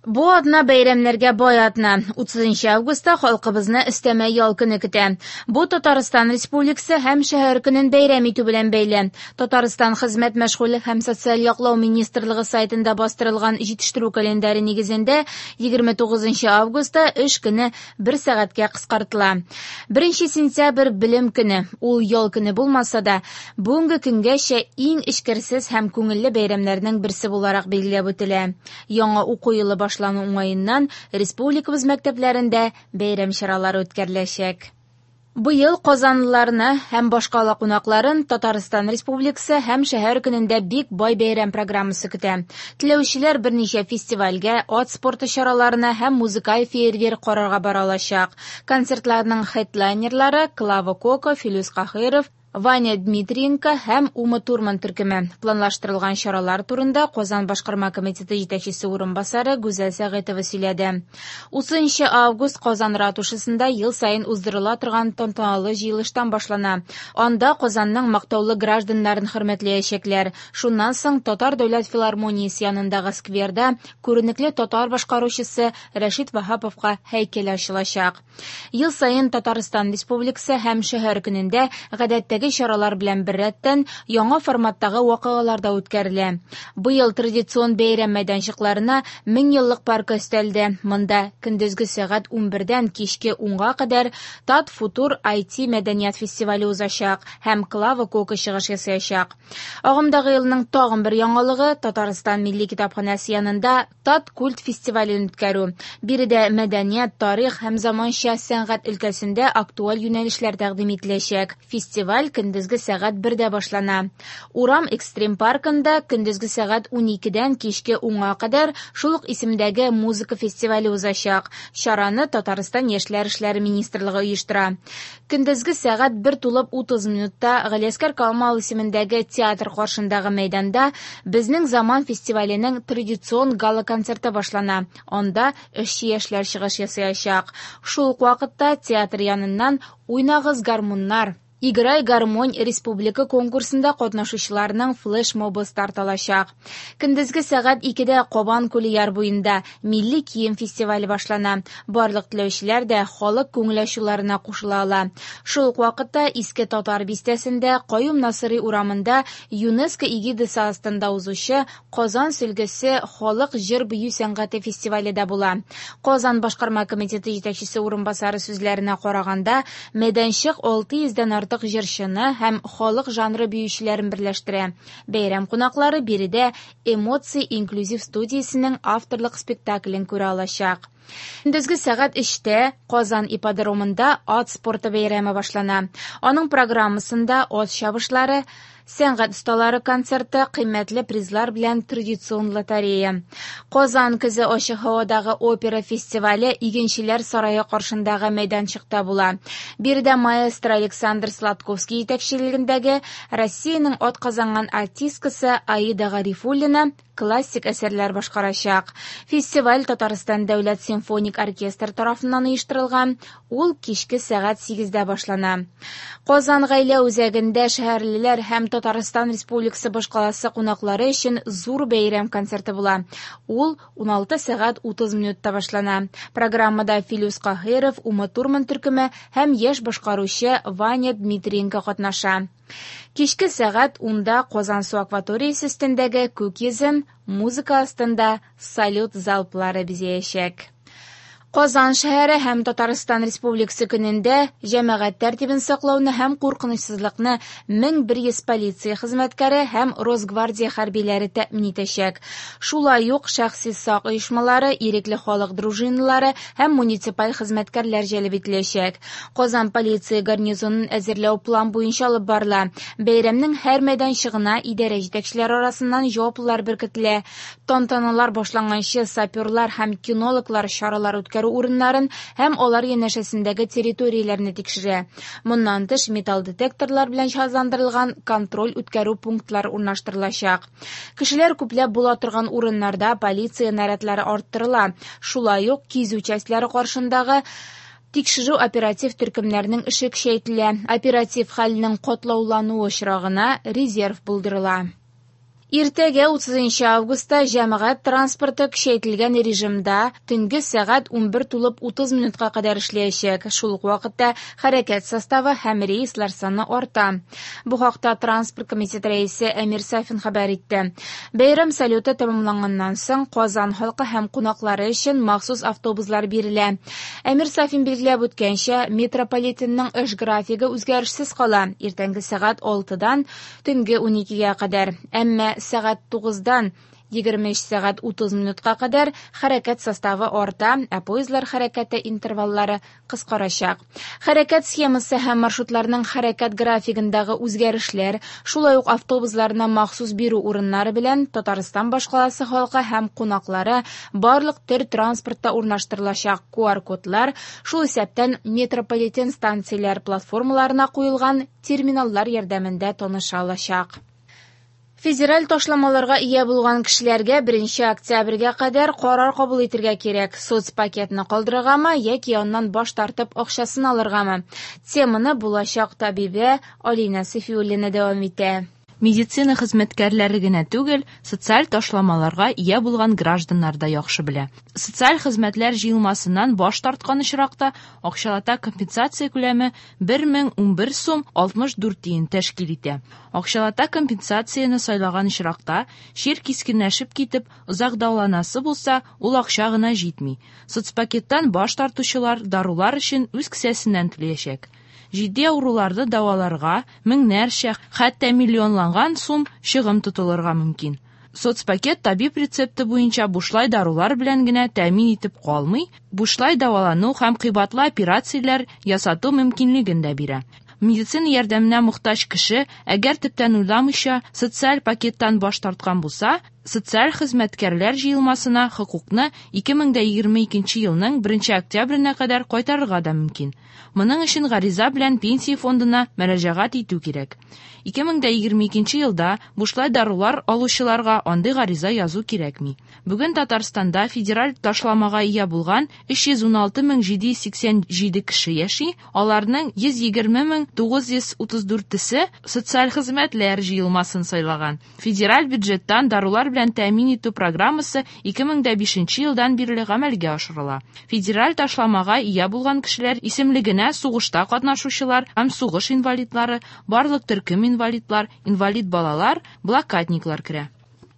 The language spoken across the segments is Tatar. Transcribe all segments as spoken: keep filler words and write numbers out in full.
Бу атна бәйрәмнәргә бай атна. утызынчы августта халкыбызны өстәмә ял көне көтә. Бу Татарстан Республикасы һәм шәһәр көнен бәйрәм итү белән бәйле. Татарстан Хезмәт мәшгульлек һәм социаль яклау министрлыгы сайтында бастырылган җитештерү календаре нигезендә егерме тугызынчы августта эш көне бер сәгатькә кыскартыла. Беренче сентябрь белем көне. Ул ял көне булмаса да, бүгенге көнгәчә иң эчкерсез һәм күңелле бәйрәмнәрнең берсе буларак билгеләп үтелә. Яңа уку елы башлана. Башлану уңаеннан республикабыз мәктәпләрендә бәйрәм чаралары үткәреләчәк. Быел казанлыларны һәм башкала кунакларын Татарстан Республикасы һәм шәһәр көнендә бик бай бәйрәм программасы көтә. Теләүчеләр берничә фестивальгә, ат спорты чараларына һәм музыкаль фейерверк карарга бара алачак. Концертларның хедлайнерлары Клава Кока, Филүс Каһиров, Ваня Дмитриенко һәм Ума Турман төркеме. Планлаштырылган чаралар турында Казан башкарма комитеты җитәкчесе урынбасары Гүзәл Сәгыйтова сөйләде. Утызынчы август Казан ратушасында ел саен уздырыла торган тантаналы җыелыштан башлана. Анда Казанның мактаулы гражданнарын хөрмәтләячәкләр. Шуннан соң Татар дәүләт филармониясе янындагы скверда күренекле татар башкаручысы Рәшит Ваһаповка һәйкәл ачылачак. Ел саен Татарстан Республикасы һәм шәһәр көнендә гадәттәге чаралар белән беррәттән яңа форматтагы вакыйгалар да үткәрелә. Быел традицион бәйрәм мәйданчыкларына мең еллык паркы өстәлде. Монда көндезге сәгать унбердән кичке унга кадәр Тат Футур ай ти мәдәният фестивале узачак һәм Клава Кока чыгыш ясаячак. Агымдагы елның тагын бер яңалыгы Татарстан Милли китапханәсе янында Тат Культ фестивален үткәрү. Биредә мәдәният, тарих һәм заманча сәнгать өлкәсендә актуаль юнәлешләр тәкъдим ителәчәк. Фестиваль көндезге сәгать бердә башлана. Урам экстрим паркында көндезге сәгать уникедән кичке унга кадәр шул ук исемдәге музыка фестивале узачак. Чараны Татарстан Яшьләр эшләре министрлыгы оештыра. Көндезге сәгать бер тулып утыз минутта Галиәсгар Камал исемендәге театр каршындагы мәйданда Безнең заман фестиваленең традицион гала-концерты башлана. Анда эшче яшьләр чыгыш ясаячак. Шул ук вакытта театр яныннан Уйнагыз гармуннар, Играй гармонь республика конкурсында катнашучыларның флешмобы старт алачак. Көндезге сәгать икедә Кабан күле яр буенда милли кием фестивале башлана. Барлык теләүчеләр дә халык күңел ачуларына кушыла ала. Шул ук вакытта Иске Татар бистәсендә Каюм Насыйри урамында ЮНЕСКО эгидасы астында узучы Казан сөлгесе халык җыр-бию сәнгате фестивале дә була. Казан башкарма комитеты җитәкчесе урынбасары сүзләренә караганда, мәйданчык алты йөздән артык җырчыны һәм халык жанры биючеләрен берләштерә. Бәйрәм кунаклары биредә Эмоции инклюзив студиясенең авторлык спектаклен күрә алачак. Көндезге сәгать өчтә Казан ипподромында ат спорты бәйрәме башлана. Аның программасында ат чабышлары, сәнгать осталары концерты, кыйммәтле призлар белән традицион лотерея. Казан көзе ачык һавадагы опера фестивале Игенчеләр сарае каршындагы мәйданчыкта була. Биредә маэстро Александр Сладковский җитәкчелегендәге Россиянең атказанган артисткасы Аида Гарифуллина классик әсәрләр башкарачак. Фестиваль Татарстан дәүләт симфоник оркестр тарафыннан оештырылган. Ул кичке сәгать сигездә башлана. Казан гаилә үзәгендә шәһәрлеләр һәм Татарстан Республикасы башкаласы кунаклары өчен зур бәйрәм концерты була. Ул уналты сәгать утыз минутта башлана. Программада Филүс Каһиров, Ума Турман төркеме һәм яшь башкаручы Ваня Дмитриенко катнаша. Кичке сәгать унда Казан су акваториясе өстендәге күк йөзен музыка астында салют залплары бизәячәк. Казан шәһәре һәм Татарстан Республикасы көнендә җәмәгать тәртибен саклауны һәм куркынычсызлыкны мең бер йөз полиция хезмәткәре һәм Росгвардия хәрбиләре тәэмин итәчәк. Шулай ук шәхси сак оешмалары, ирекле халык дружиналары һәм муниципаль хезмәткәрләр җәлеп ителәчәк. Казан полиция гарнизонын әзерләү план буенча алып барыла. Бәйрәмнең һәр мәйданчыгына идарә җитәкчеләре арасыннан җаваплылар беркетелә. Тантаналар башланганчы саперлар һәм кинологлар чаралар үткәрү урыннарын һәм алар янәшәсендәге территорияләрне тикшерә. Моннан тыш металл детекторлар белән җиһазландырылган контроль үткәрү пунктлары урнаштырылачак. Кешеләр күпләп була торган урыннарда полиция нарядлары арттырыла. Шулай ук кизү частьлары каршындагы тикшерү оператив төркемнәренең эше көчәйтелә. Оператив хәлнең катлаулануы очрагына резерв булдырыла. Иртәгә утызынчы августта җәмәгать транспорты көчәйтелгән режимда төнге сәгать унбер тулып утыз минутка кадәр эшләячәк. Шул ук вакытта хәрәкәт составы һәм рейслар саны арта. Бу хакта транспорт комитеты рәисе Әмир Сафин хәбәр итте. Бәйрәм салюты тәмамланганнан соң Казан халкы һәм кунаклары өчен махсус автобуслар бирелә. Әмир Сафин билгеләп үткәнчә, метрополитенның эш графигы үзгәрешсез кала. Иртәнге сәгать алтыдан төнге уникегә кадәр. Әмма сәгать тугыздан егерме өч сәгать утыз минутка кадәр хәрәкәт составы арта, ә поездлар хәрәкәте интерваллары кыскарачак. Хәрәкәт схемасы һәм маршрутларның хәрәкәт графигындагы үзгәрешләр, шулай ук автобусларны махсус бирү урыннары белән Татарстан башкаласы халкы һәм кунаклары барлык төр транспортта урнаштырылачак ку ар кодлар, шул исәптән метрополитен станцияләр платформаларына куелган терминаллар ярдәмендә таныша алачак. Федераль ташламаларга ия булган кешеләргә беренче октябрьгә кадәр карар кабул итәргә кирәк. Соцпакетны калдырыргамы яки аннан баш тартып акчасын алыргамы? Теманы булачак табибә Алина Сафиуллина дәвам итә. Медицина хезмәткәрләре генә түгел, социаль ташламаларга ия булган гражданнар да яхшы белә. Социаль хезмәтләр җыелмасыннан баш тарткан очракта акчалата компенсация күләме бер мең унбер сум алтмыш дүрт тиен тәшкил итә. Акчалата компенсацияне сайлаган очракта чир кискенләшеп китеп, озак дәваланасы булса, ул акча гына җитми. Соцпакеттан баш тартучылар дарулар өчен үз кесәсеннән түләячәк. Җитди авыруларны дәваларга меңнәрчә, хәтта миллионланган сум чыгым тотылырга мөмкин. Соцпакет табиб рецепты буенча бушлай дарулар белән генә тәэмин итеп калмый, бушлай дәвалану һәм кыйбатлы операцияләр ясату мөмкинлеген дә бирә. Медицина ярдәменә мохтаҗ кеше, әгәр төптән уйламыйча социаль пакеттан баш тарткан булса, социаль хезмәткәрләр җыелмасына хокукны ике мең дә егерме икенче елның беренче октябренә кадәр кайтарырга да мөмкин. Моның өчен гариза белән пенсия фондына мөрәҗәгать итү кирәк. Ике мең дә егерме икенче елда бушлай дарулар алучыларга андый гариза язу кирәкми. Бүген Татарстанда федераль ташламага ия булган өч йөз уналты мең җиде йөз сиксән җиде кеше яши, аларның йөз егерме мең тугыз йөз утыз дүртесе социаль хезмәтләр җыелмасын сайлаган. Федераль бюджеттан дарулар белән тәэмин итү программасы ике мең дә бишенче елдан бирле гамәлгә ашырыла. Федераль ташламага ия булган кешеләр исемлегенә сугышта катнашучылар һәм сугыш инвалидлары, барлык төркем инвалидлар, инвалид балалар, блокадниклар керә.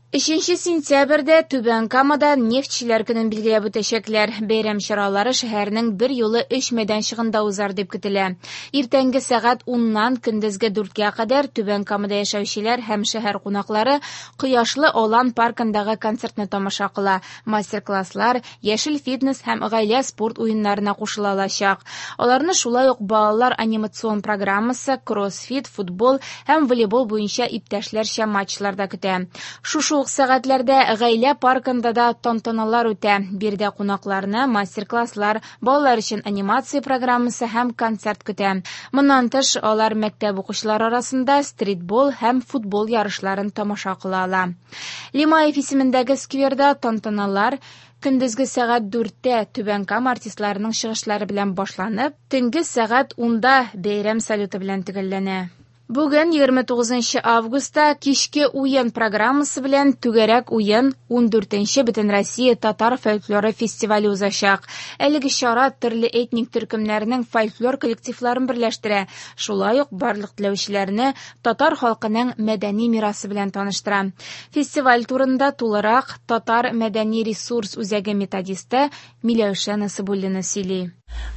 Өченче сентябрьдә Түбән Камада нефтьчеләр көнен билгеләп үтәчәкләр. Бәйрәм чаралары шәһәрнең бер юлы өч мәйданчыгында узар дип көтелә. Иртәнге сәгать уннан көндезге дүрткә кадәр Түбән Камада яшәүчеләр һәм шәһәр кунаклары Кояшлы Алан паркындагы концертны тамаша кыла. Мастер-класслар, яшел фитнес һәм гаилә спорт уеннарына кушыла алачак. Аларны шулай ук балалар анимацион программасы, кроссфит, футбол һәм волейбол буенча иптәшләрчә матчлар да көтә. Шушы ук сәгатьләрдә гаилә паркында да тантаналар үтә. Биредә кунакларны мастер-класслар, балалар өчен анимация программасы һәм концерт көтә. Моннан тыш, алар мәктәп укучылары арасында стритбол һәм футбол ярышларын тамаша кыла ала. Лимаев исемендәге скверда тантаналар көндезге сәгать дүрттә Түбән Кама артистларының чыгышлары белән башланып, төнге сәгать унда бәйрәм салюты белән төгәлләнә. Бүген егерме тугызынчы августта кичке уен программасы белән түгәрәк уен ундүртенче Бөтенроссия татар фольклоры фестивале узачак. Әлеге чара төрле этник төркемнәрнең фольклор коллективларын берләштерә. Шулай ук барлык теләүчеләрне татар халкының мәдәни мирасы белән таныштыра. Фестиваль турында тулырак Татар мәдәни ресурс үзәге методисты Миләүшә Насыбуллина сөйли.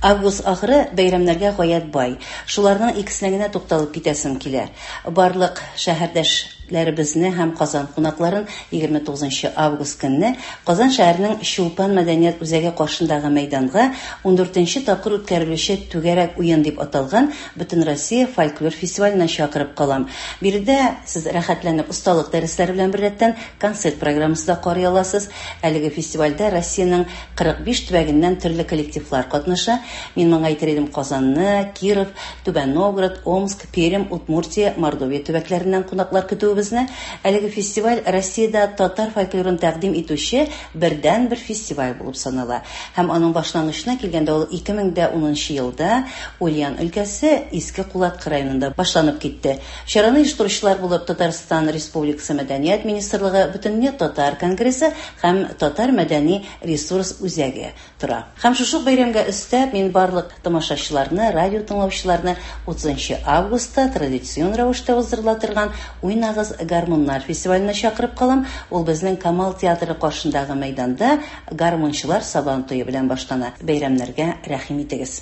Август ахыры бәйрәмнәргә гаять бай. Шуларның икесенә генә тукталып китәсем килә. Барлык шәһәрдәшләребезне һәм Казан кунакларын егерме тугызынчы август көнне Казан шәһәренең Чулпан мәдәният үзәге каршындагы мәйданга ундүртенче тапкыр үткәрелүче түгәрәк уен дип аталган Бөтенроссия фольклор фестиваленә чакырып калам. Биредә сез рәхәтләнеп осталык дәресләре белән беррәттән концерт программасы да карый аласыз. Әлеге фестивальдә Россиянең кырык биш төбәгеннән төрле коллективлар катнаша. Мин моңа әйтер идем Казанны, Киров, Түбән Новгород, Омск, Пермь, Удмуртия, Мордовия төбәкләреннән кунаклар көтүебезне. итүебезне. Әлеге фестиваль Россиядә татар фольклорын тәкъдим итүче бердәнбер фестиваль булып санала. Һәм аның башлангычына килгәндә, ул ике мең дә унынчы елда Ульян өлкәсе Иске Кулаткы районында башланып китте. Чараны оештыручылар булып Татарстан Республикасы Мәдәният министрлыгы, Бөтендөнья татар конгрессы һәм Татар мәдәни ресурс үзәге тора. Һәм шушы ук бәйрәмгә өстәп, мин барлык тамашачыларны, радио тыңлаучыларны утызынчы августта традицион рәвештә уздырыла торган Уйнагыз гармуннар фестиваленә чакырып калам. Ул безнең Камал театры каршындагы мәйданда гармунчылар сабан туе белән башлана. Бәйрәмнәргә рәхим итегез.